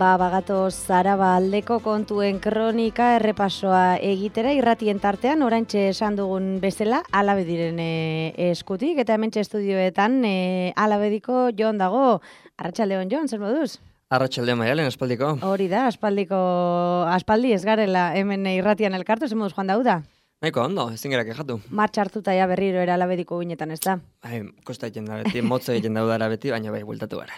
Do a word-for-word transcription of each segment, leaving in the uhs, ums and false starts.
Ba, bagatoz Araba aldeko kontuen kronika errepasoa egitera irratien tartean, oraintxe esan dugun bezala, Alabediren e, eskutik, eta hementxe estudioetan e, Alabediko Jon dago. Arratsaldeon Jon, zer moduz? Arratsaldeon Maialen, aspaldiko. Hori da, aspaldiko, aspaldi ez garela hemen irratian elkartu, zer moduz Juan Dauda? Nahiko ondo, ezin gara kejatu. Martxa hartuta ja berriro era Alabediko guinetan, ez da? Bai, kosta egiten da beti, motzo egiten daudara beti, baina bai, bueltatu gara.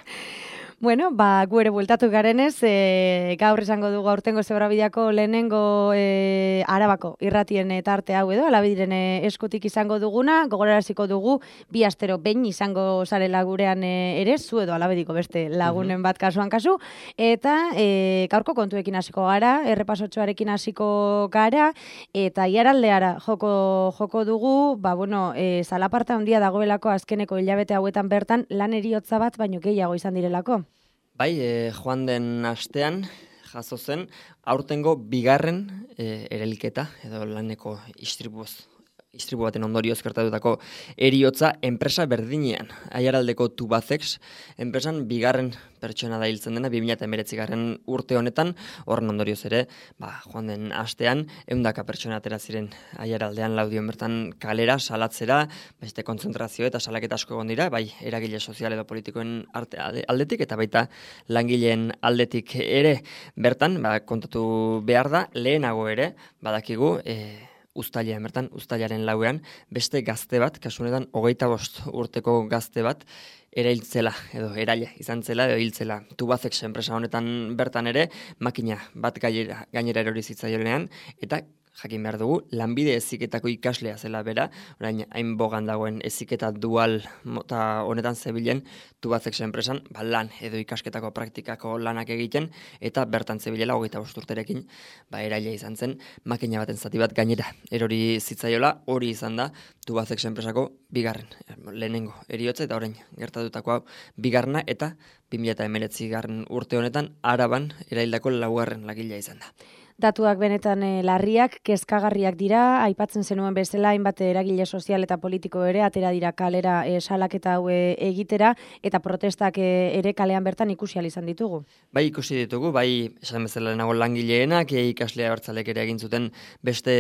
Bueno, ba, gu ere bueltatu garenez, e, gaur esango dugu aurtengo Zebrabideako lehenengo e, Arabako irratien tarte hau edo, Alabediren eskutik izango duguna, gogoraraziko dugu, bi astero behin izango zarela gurean e, ere, zu edo Alabediko beste lagunen bat kasuan kasu, eta e, gaurko kontuekin hasiko gara, errepasotxoarekin hasiko gara, eta iaraldeara joko, joko dugu, ba, bueno, e, zalaparta handia dagoelako azkeneko hilabete hauetan bertan lan heriotza bat, baino gehiago izan direlako. Bai, e, joan den astean jazo zen aurtengo bigarren e, erelketa edo laneko istripuz. Istripu baten ondorioz gertatutako heriotza enpresa berdinean. Aiaraldeko Tubacex enpresan bigarren pertsona da hiltzen dena bi mila hemeretzigarren urte honetan, horren ondorioz ere, ba, joan den astean ehundaka pertsona atera ziren Aiaraldean Laudion bertan kalera salatzera, beste kontzentrazio eta salaketa asko egon dira, bai eragile sozial edo politikoen arte aldetik eta baita langileen aldetik ere bertan, ba, kontatu behar da, lehenago ere, badakigu, e, Uztailean bertan, uztailaren lauean, beste gazte bat, kasu honetan hogeita bost urteko gazte bat, erailtzela, edo eraile izan zela, edo hiltzela. Tubacex enpresa honetan bertan ere, makina bat gainera, gainera erori zitzaionean, eta jakin behar dugu, lanbide heziketako ikaslea zela bera, orain hain bogan dagoen heziketa dual mota honetan zebilen Tubacex enpresan, ba, lan edo ikasketako praktikako lanak egiten, eta bertan zebilela hogeita bost urterekin, ba, eraila izan zen, makina baten zati bat gainera erori zitzaiola, hori izan da Tubacex enpresako bigarren, lehenengo eriotza eta orain gertatutako hau bigarna, eta bi mila hemeretzigarren urte honetan Araban eraildako laugarren lagila izan da. Datuak benetan e, larriak, kezkagarriak dira, aipatzen zenuen bezala, hainbat eragile sozial eta politiko ere, atera dira kalera e, salaketa hau e, egitera, eta protestak e, ere kalean bertan ikusi ahal izan ditugu. Bai, ikusi ditugu, bai, esan bezala nago langileenak, e, ikaslea abertzalek ere egin zuten beste,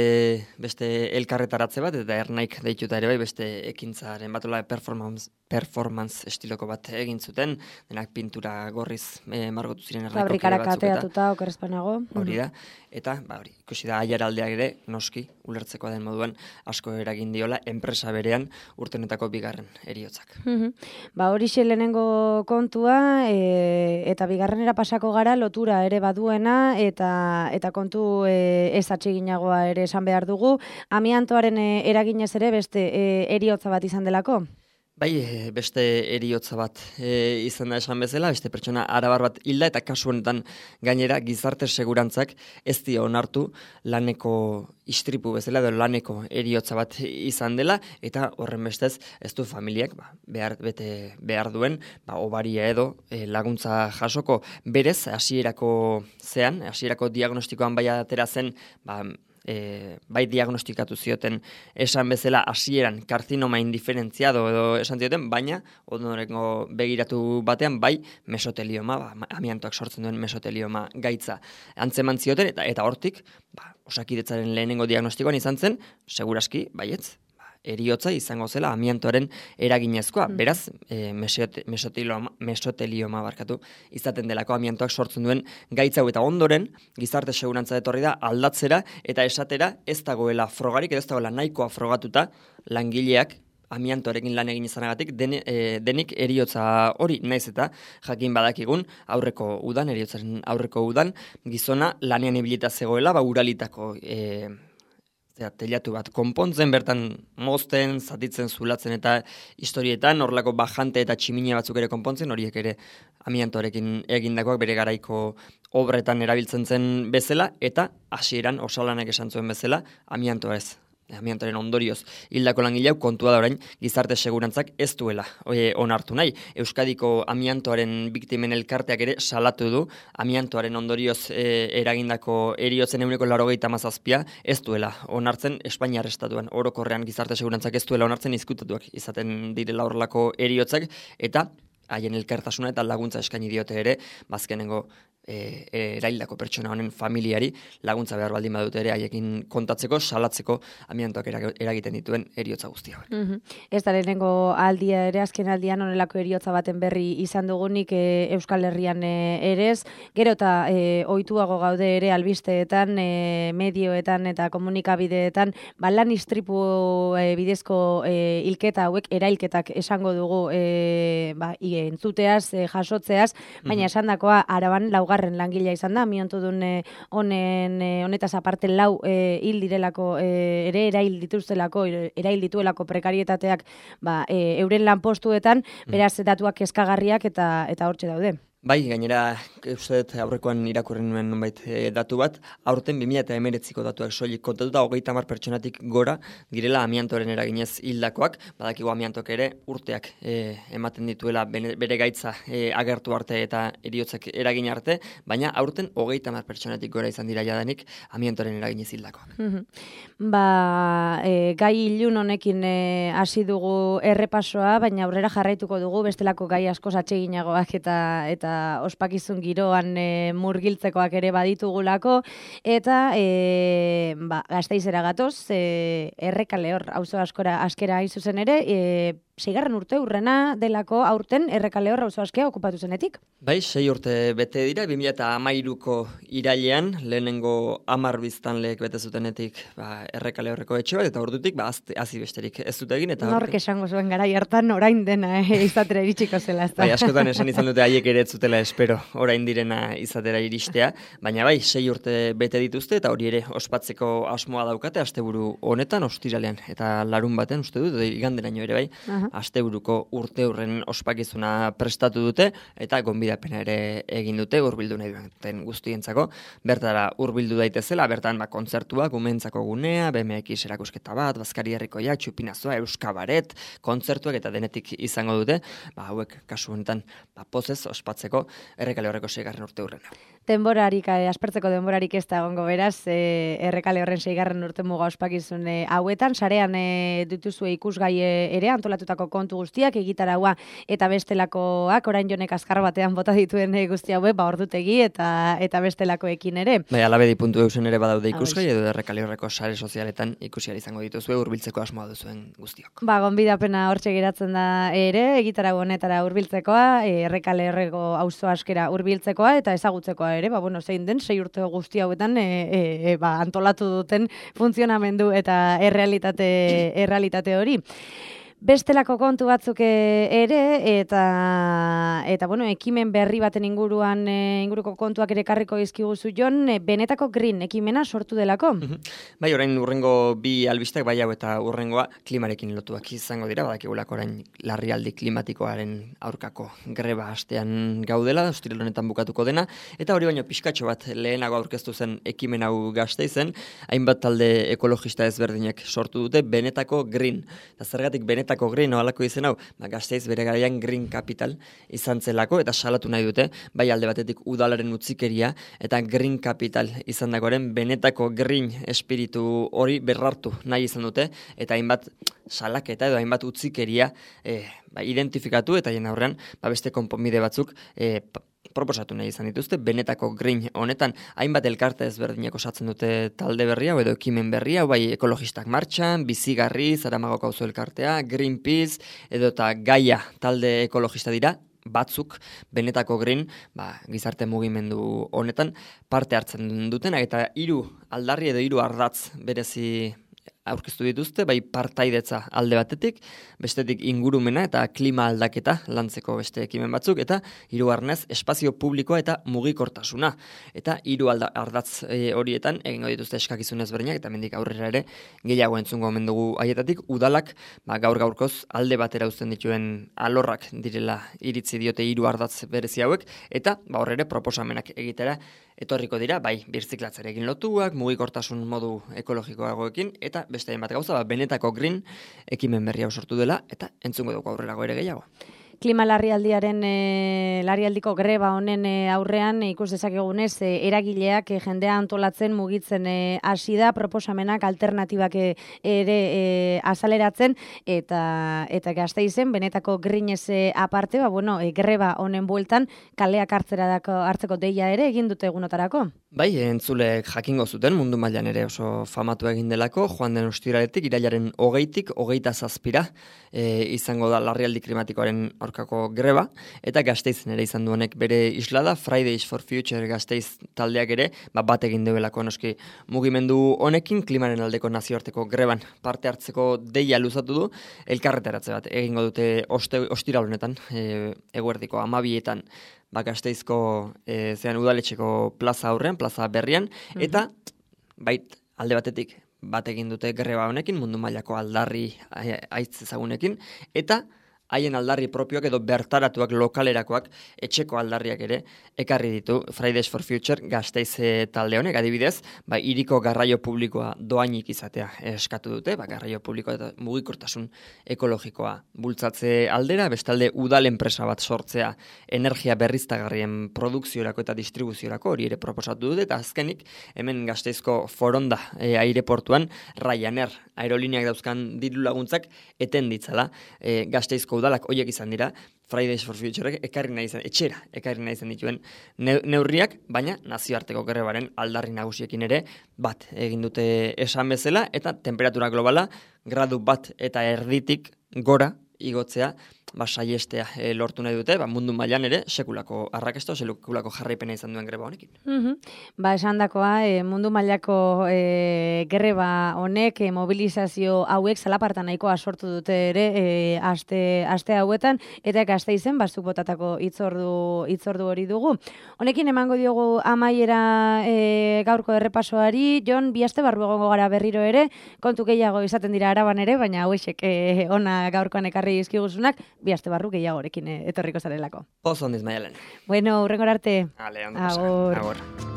beste elkarretaratze bat, eta ernaik deituta ere bai, beste ekintzaren batola performance, performance estiloko bat egin zuten, denak pintura gorriz e, margotu ziren ernaiko kide batzuk. Fabrikara kateatuta, okerrezpanago. Hori da. Eta, ba, hori, ikusi da Aiaraldeak ere, noski, ulertzekoa den moduan, asko eragin diola, enpresa berean urtenetako bigarren heriotzak. Ba, hori lehenengo kontua, e, eta bigarrenera pasako gara, lotura ere baduena, eta eta kontu e, ez atseginagoa ere esan behar dugu. Amiantoaren e, eraginez ere beste e, heriotza bat izan delako? Bai, beste heriotza bat e, izan da esan bezala, beste pertsona arabar bat hilda, eta kasu honetan gainera gizarte segurantzak ez dio onartu laneko istripu bezala, edo laneko heriotza bat izan dela, eta horren bestez ez du familiak ba, behar, bete, behar duen ba, obaria edo e, laguntza jasoko. Berez, hasierako zean, hasierako diagnostikoan bai atera zen, ba, E, bai diagnostikatu zioten esan bezala hasieran karzinoma indiferentziado edo esan zioten, baina ondorengo begiratu batean bai mesotelioma, ba, amiantoak sortzen duen mesotelioma gaitza antzeman zioten, eta eta hortik ba, Osakidetzaren lehenengo diagnostikoan izan zen, seguraski, baietz, heriotza izango zela amiantoaren eraginezkoa. Mm. Beraz, e, mesotelioma, mesotelioma barkatu izaten delako amiantoak sortzen duen gaitza hau, eta ondoren gizarte segurantza etorri da aldatzera eta esatera ez dagoela frogarik, edo ez dagoela nahikoa frogatuta langileak amiantoarekin lan egin izanagatik den, e, denik heriotza hori, naiz eta jakin badakigun aurreko udan, heriotzaren aurreko udan, gizona lanean ibilita zegoela, ba uralitako e, Zera, telatu bat konpontzen, bertan mozten, zatitzen, zulatzen eta historietan, horrelako bajante eta tximine batzuk ere konpontzen, horiek ere amiantoarekin egindakoak bere garaiko obretan erabiltzen zen bezala, eta hasieran osalanek esan zuen bezala, amiantoa ez. Amiantoaren ondorioz hildako langilea kontua da orain gizarte segurantzak ez duela oie, onartu nahi. Euskadiko amiantoaren biktimen elkarteak ere salatu du amiantoaren ondorioz e, eragindako heriotzen ehuneko laurogeita hamazazpia ez duela onartzen Espainiar estatuan. Orokorrean gizarte segurantzak ez duela onartzen izkutatuak izaten direla horrelako heriotzak, eta haien elkartasuna eta laguntza eskaini diote ere, bazkenengo e, eraildako pertsona honen familiari laguntza behar baldin badute ere haiekin kontatzeko, salatzeko amiantoak eragiten dituen eriotza guztia. Mm-hmm. Ez da lehenengo aldia ere, azken aldian honelako eriotza baten berri izan dugunik e, Euskal Herrian e, ere ez, gero eta e, ohituago gaude ere albisteetan, e, medioetan eta komunikabideetan, ba, lan istripu e, bidezko e, hilketa hauek, erailketak esango dugu e, ba, entzuteaz, e, jasotzeaz, baina esandakoa Araban laugarren langilea izan da, miontudun e, honen e, honetaz aparte lau e, hil direlako e, ere erail dituztelako, erail dituelako prekarietateak ba, e, euren lanpostuetan, beraz datuak kezkagarriak eta eta hortxe daude. Bai, gainera, uste dut aurrekoan irakurri nuen nonbait e, datu bat, aurten bi mila hemeretziko datuak soilik kontatuta hogeita hamar pertsonatik gora direla amiantoren eraginez hildakoak, badakigu amiantok ere urteak e, ematen dituela bene, bere gaitza e, agertu arte eta eriotzak eragin arte, baina aurten hogeita hamar pertsonatik gora izan dira jadanik amiantoren eraginez hildakoak. Ba, e, gai ilun honekin hasi dugu errepasoa, baina aurrera jarraituko dugu bestelako gai askoz atseginagoak eta eta ospakizun giroan e, murgiltzekoak ere baditugulako, eta e, ba, Gasteizera gatoz, e, Errekale hor, auzo askora askera hain zuzen ere, e, seigarren urte urrena delako aurten Errekale hor auzo askea okupatu zenetik. Bai, sei urte bete dira, bi mila hamairuko irailean, lehenengo hamar biztanleek bete zutenetik ba, Errekale horreko etxe bat, eta ordutik ba, hazi besterik ez dut egin. Eta nork esango zuen garai hartan orain dena eh, izatera iritsiko zela. Bai, askotan esan izan dute haiek ere ez zutela espero orain direna izatera iristea, baina bai, sei urte bete dituzte, eta hori ere ospatzeko asmoa daukate, asteburu honetan, ostiralean, eta larun baten, uste dut, iganderaino ere bai, asteburuko urte hurren ospakizuna prestatu dute, eta gonbidapena ere egin dute, hurbildu nahi duten guztientzako, bertara hurbildu daitezela, bertan ba, kontzertuak, umentzako gunea, B M X erakusketa bat, Bazkari herrikoia, txupinazoa, euskabaret, kontzertuak eta denetik izango dute, ba, hauek kasu honetan ba, pozez ospatzeko Errekale horreko seigarren urte hurrena. Denborarik, eh, aspertzeko denborarik ez da egongo beraz, eh, Errekale horren seigarren urte muga ospakizun eh, hauetan, sarean eh, dituzue ikusgai ere, antolatutako kontu guztiak, egitaraua eta bestelakoak, orain jonek azkar batean bota dituen eh, guzti haue, ba ordutegi eta eta bestelakoekin ere. Bai, alabedi puntu eusen ere badaude ikusgai, edo Errekale horreko sare sozialetan ikusiari izango dituzue, hurbiltzeko asmoa duzuen guztiok. Ba, gonbidapena hortxe geratzen da ere, egitarau honetara hurbiltzekoa, Errekale horreko auzo askera hurbiltzekoa eta ezagutzekoa ere, ba, bueno, zein den, sei urte guzti hauetan e, e, e, ba, antolatu duten funtzionamendu eta errealitate, errealitate hori. Bestelako kontu batzuk ere, eta eta bueno, ekimen berri baten inguruan e, inguruko kontuak ere karriko dizkiguzu Jon, e, benetako green ekimena sortu delako. Bai, orain urrengo bi albistek, bai hau eta urrengoa klimarekin lotuak izango dira, badakigulako orain larrialdi klimatikoaren aurkako greba astean gaudela, ostiral honetan bukatuko dena, eta hori baino pixkatxo bat lehenago aurkeztu zen ekimen hau Gasteizen, hainbat talde ekologista ezberdinek sortu dute benetako green. Eta zergatik benetako Green ohalako izen hau, ba, Gasteiz bere garaian Green Capital izan zelako, eta salatu nahi dute, bai alde batetik udalaren utzikeria, eta Green Capital izan dagoaren benetako green espiritu hori berrartu nahi izan dute, eta hainbat salaketa edo hainbat utzikeria eh, ba, identifikatu, eta jen aurrean ba, beste konponbide batzuk eh, proposatu nahi izan dituzte, benetako green honetan hainbat elkarte ezberdinak osatzen dute talde berria, edo ekimen berria, bai ekologistak martxan, bizigarri, Zaramagoko auzo elkartea, Greenpeace, edo eta Gaia talde ekologista dira, batzuk benetako green, ba, gizarte mugimendu honetan parte hartzen dutenak, eta hiru aldarri edo hiru ardatz berezi aurkeztu dituzte, bai partaidetza alde batetik, bestetik ingurumena eta klima aldaketa lantzeko beste ekimen batzuk, eta hirugarrenez espazio publikoa eta mugikortasuna. Eta hiru ardatz e, horietan egingo dituzte eskakizun ezberdinak, eta mendik aurrera ere gehiago entzungo omen dugu haietatik, udalak ba, gaur gaurkoz alde batera uzten dituen alorrak direla iritzi diote hiru ardatz berezi hauek, eta ba, horre proposamenak egitera etorriko dira, bai, birziklatzarekin lotuak, mugikortasun modu ekologikoagoekin, eta beste hainbat gauza, ba, benetako green ekimen berria sortu dela, eta entzungo dugu aurrerago ere gehiago. klima larrialdiaren e, larrialdiko greba honen e, aurrean e, ikus dezakegunez e, eragileak e, jendea antolatzen mugitzen e, hasi da, proposamenak alternatibak e, ere e, azaleratzen eta eta Gasteizen benetako grinez e, aparte, ba bueno, e, greba honen bueltan kaleak hartzera dako, hartzeko deia ere egin dute egunotarako. Bai, entzulek jakingo zuten mundu mailan ere oso famatu egin delako, joan den ostiraletik irailaren hogeitik hogeita zazpira e, izango da larrialdi klimatikoaren aurkako greba, eta Gasteizen ere izan du honek bere islada, Fridays for Future Gasteiz taldeak ere, ba, bat egin duelako noski mugimendu honekin klimaren aldeko nazioarteko greban parte hartzeko deia luzatu du, elkarretaratze bat egingo dute oste, ostiral honetan, e, eguerdiko amabietan, ba, Gasteizko e, zean udaletxeko plaza aurrean, plaza berrian, eta bait alde batetik bat egin dute greba honekin, mundu mailako aldarri aitz ezagunekin, eta haien aldarri propioak edo bertaratuak lokalerakoak etxeko aldarriak ere ekarri ditu Fridays for Future Gasteiz talde honek, adibidez, ba, iriko garraio publikoa doainik izatea eskatu dute, ba, garraio publikoa eta mugikortasun ekologikoa bultzatze aldera, bestalde udal enpresa bat sortzea energia berriztagarrien produkziorako eta distribuziorako hori ere proposatu dute, eta azkenik hemen Gasteizko Foronda e, aireportuan Ryanair aerolineak dauzkan diru laguntzak eten ditzala e, Gasteizko udalak hoiek izan dira, Fridays for Future ekarri nahi izan, etxera ekarri nahi izan dituen neurriak, baina nazioarteko grebaren aldarri nagusiekin ere bat egin dute esan bezala, eta temperatura globala gradu bat eta erditik gora igotzea, ba, saiestea e, lortu nahi dute, ba, mundu mailan ere sekulako arrakasta, sekulako jarraipena izan duen greba honekin. Mm-hmm. Ba, esan dakoa, e, mundu mailako e, greba honek, e, mobilizazio hauek zalapartan nahikoa sortu dute ere e, aste, aste hauetan, eta Gasteizen bastuk botatako itzordu, itzordu hori dugu. Honekin emango diogu amaiera e, gaurko errepasoari, Jon, bi aste barru egongo gara berriro ere, kontu gehiago izaten dira Araban ere, baina hauexek e, ona gaurkoan ekarri izkiguzunak, bi aste barru gehiagorekin etorriko zarelako. Oso ondiz, Maialen. Bueno, hurrengor arte. Ale, ondo pasa. Agor.